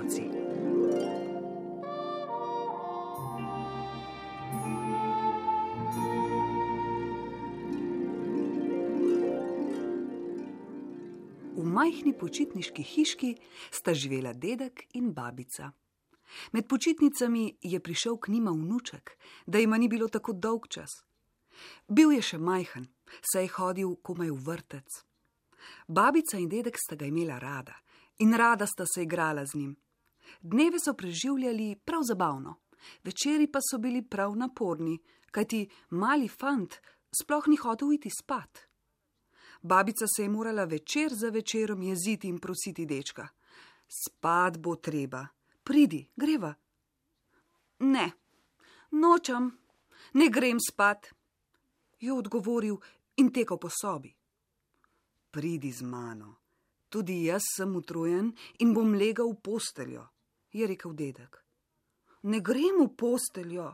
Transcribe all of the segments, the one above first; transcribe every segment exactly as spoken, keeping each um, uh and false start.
otroci. V majhni počitniški hiški sta živela dedek in babica. Med počitnicami je prišel k njima vnuček, da jima ni bilo tako dolg čas. Bil je še majhen, saj je hodil komaj v vrtec. Babica in dedek sta ga imela rada in rada sta se igrala z njim. Dneve so preživljali prav zabavno, večeri pa so bili prav naporni, kajti mali fant sploh ni hotel iti spat. Babica se je morala večer za večerom jeziti in prositi dečka. Spat bo treba, pridi, greva. Ne, nočem, ne grem spat, je odgovoril in tekel po sobi. Pridi z mano, tudi jaz sem utrujen in bom legal v posteljo, je rekel dedek. Ne grem v posteljo,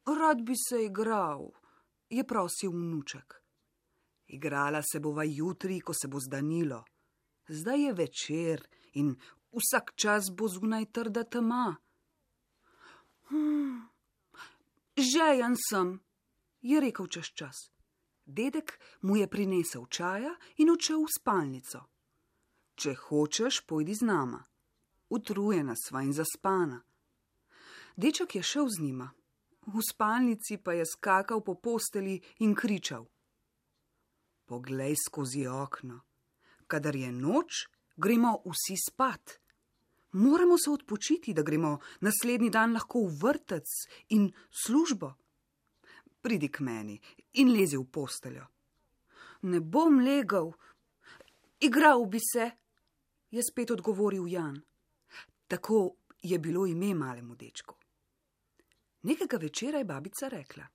rad bi se igral, je prosil vnuček. Igrala se bova jutri, ko se bo zdanilo. Zdaj je večer in vsak čas bo zunaj trda tema. Hmm, žejen sem, je rekel čez čas. Dedek mu je prinesel čaja in odšel v spalnico. Če hočeš, pojdi z nama. Utrujena sva in zaspana. Deček je šel z njima. V spalnici pa je skakal po posteli in kričal. Poglej skozi okno. Kadar je noč, gremo vsi spat. Moramo se odpočiti, da gremo naslednji dan lahko v vrtec in službo. Pridi k meni in lezi v posteljo. Ne bom legal, igral bi se, je spet odgovoril Jan. Tako je bilo ime malemu dečku. Nekega večera je babica rekla.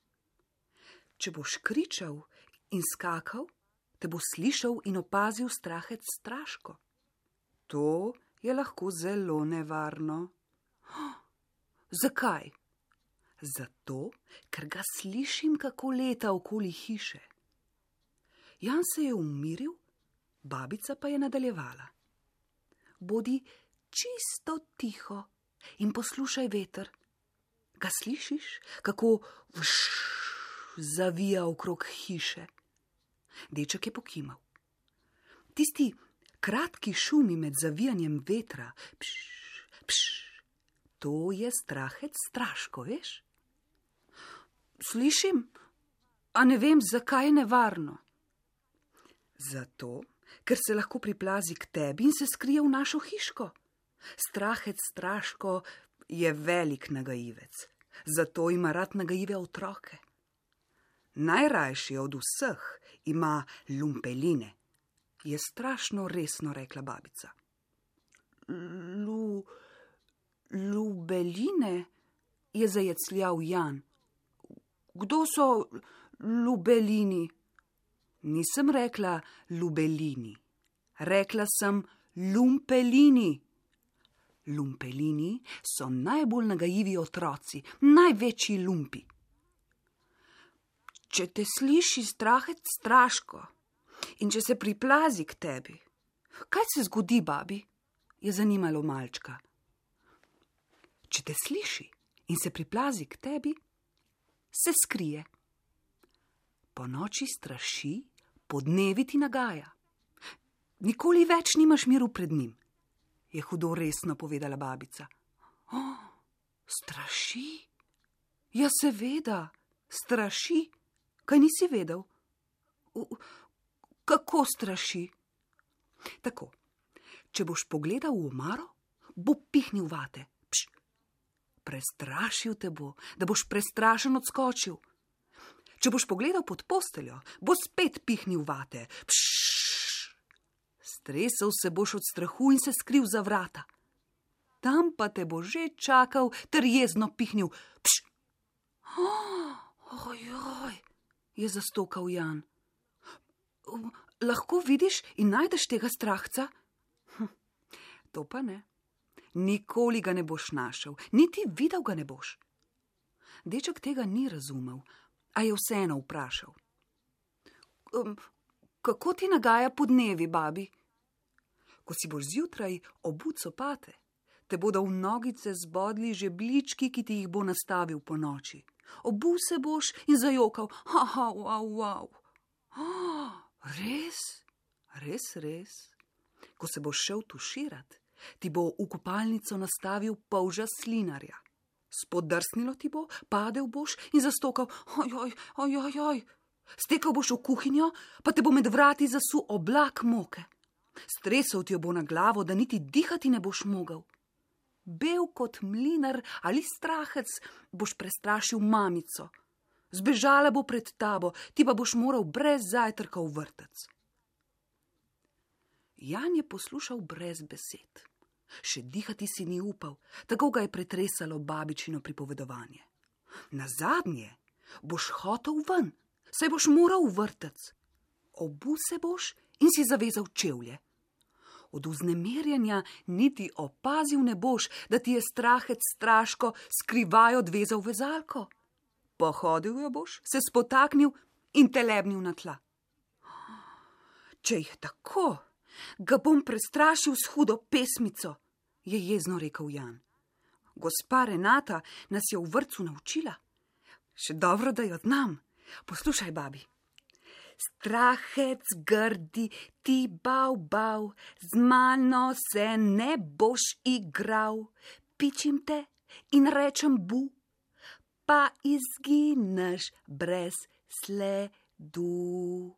Če boš kričal in skakal, te bo slišal in opazil strahec Straško. To je lahko zelo nevarno. Oh, zakaj? Zato, ker ga slišim, kako leta okoli hiše. Jan se je umiril, babica pa je nadaljevala. Bodi čisto tiho in poslušaj veter. Ga slišiš, kako vš zavija okrog hiše? Deček je pokimal. Tisti kratki šumi med zavijanjem vetra, pš, pš, to je strahec Straško, veš? Slišim, a ne vem, zakaj je nevarno. Zato, ker se lahko priplazi k tebi in se skrije v našo hiško. Strahec Straško je velik nagajivec, zato ima rad nagajive otroke. Najrajši od vseh ima lumpeline, je strašno resno rekla babica. Lu, lubeline, je zajecljal Jan. Kdo so lubelini? Nisem rekla lubelini, rekla sem lumpelini. Lumpelini so najbolj nagajivi otroci, največji lumpi. Če te sliši strahec Straško in če se priplazi k tebi, kaj se zgodi, babi? Je zanimalo malčka. Če te sliši in se priplazi k tebi, se skrije. Po noči straši, po dnevi ti nagaja. Nikoli več nimaš miru pred njim, je hudo resno povedala babica. Oh, straši? Ja, seveda, straši. Kaj nisi vedel? Kako straši? Tako, če boš pogledal v omaro, bo pihnil vate. Pš, prestrašil te bo, da boš prestrašen odskočil. Če boš pogledal pod posteljo, bo spet pihnil vate. Pš, stresel se boš od strahu in se skril za vrata. Tam pa te bo že čakal ter jezno pihnil. Pš, ojoj, je zastokal Jan. Lahko vidiš in najdeš tega strahca? Hm, to pa ne. Nikoli ga ne boš našel, niti videl ga ne boš. Deček tega ni razumel, a je vseeno vprašal. Um, kako ti nagaja po dnevi, babi? Ko si boš zjutraj obut copate, Te bodo v nogice zbodli žebljički, ki ti jih bo nastavil po noči. Obul se boš in zajokal, haha, wow, wow. Oh, res, res, res. Ko se boš šel tuširat, ti bo v kopalnico nastavil polža slinarja. Spodrsnilo ti bo, padel boš in zastokal, ojoj, ojoj, ojoj. Stekal boš v kuhinjo, pa te bo med vrati zasul oblak moke. Stresel ti jo bo na glavo, da niti dihati ne boš mogel. Bel kot mlinar ali strahec boš prestrašil mamico. Zbežala bo pred tabo, ti pa boš moral brez zajtrka v vrtec. Jan je poslušal brez besed. Še dihati si ni upal, tako ga je pretresalo babičino pripovedovanje. Nazadnje boš hotel ven, saj boš moral v vrtec. Obul se boš in si zavezal čevlje. Od vznemirjenja niti opazil ne boš, da ti je strahec straško skrivaj odvezal vezalko. Pohodil jo boš, se spotaknil in te lebnil na tla. Če jih tako, ga bom prestrašil s hudo pesmico, je jezno rekel Jan. Gospa Renata nas je v vrtcu naučila. Še dobro, da jo znam. Poslušaj, babi. Strahec grdi, ti bav, bav, z mano se ne boš igral. Pičim te in rečem bu, pa izgineš brez sledu.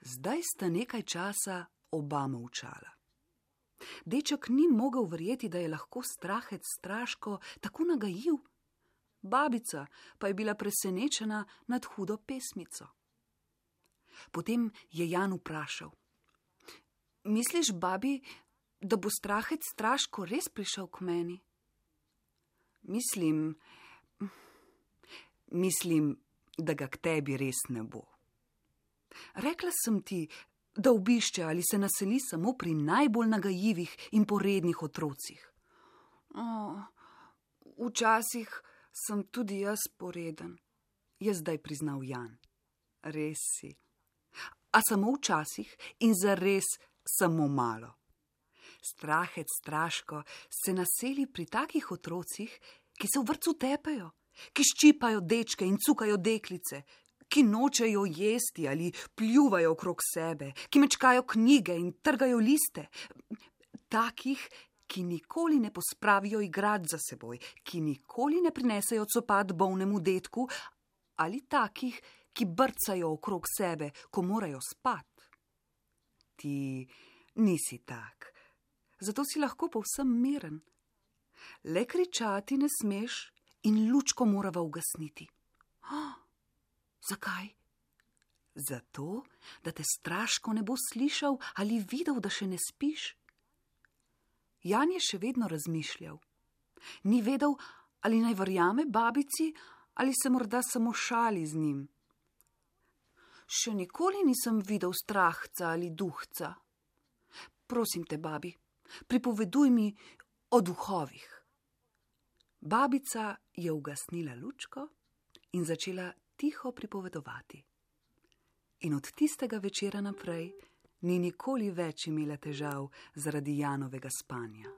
Zdaj sta nekaj časa oba molčala. Deček ni mogel verjeti, da je lahko strahec straško tako nagajiv. Babica pa je bila presenečena nad hudo pesmico. Potem je Jan vprašal. Misliš, babi, da bo strahec straško res prišel k meni? Mislim, mislim, da ga k tebi res ne bo. Rekla sem ti, da obišče ali se naseli samo pri najbolj nagajivih in porednih otrocih. O, včasih sem tudi jaz poreden, je zdaj priznal Jan. Res si. A samo včasih in zares samo malo. Strahec straško se naseli pri takih otrocih, ki se v vrtcu tepejo, ki ščipajo dečke in cukajo deklice, ki nočejo jesti ali pljuvajo okrog sebe, ki mečkajo knjige in trgajo liste. Takih, ki nikoli ne pospravijo igrat za seboj, ki nikoli ne prinesejo copat bolnemu detku, ali takih, ki brcajo okrog sebe, ko morajo spat. Ti nisi tak, zato si lahko povsem miren. Le kričati ne smeš in lučko morava ugasniti. Oh, zakaj? Zato, da te straško ne bo slišal ali videl, da še ne spiš. Jan je še vedno razmišljal. Ni vedel, ali naj verjame babici, ali se morda samo šali z njim. Še nikoli nisem videl strahca ali duhca. Prosim te, babi, pripoveduj mi o duhovih. Babica je ugasnila lučko in začela tiho pripovedovati. In od tistega večera naprej ni nikoli več imela težav zaradi Janovega spanja.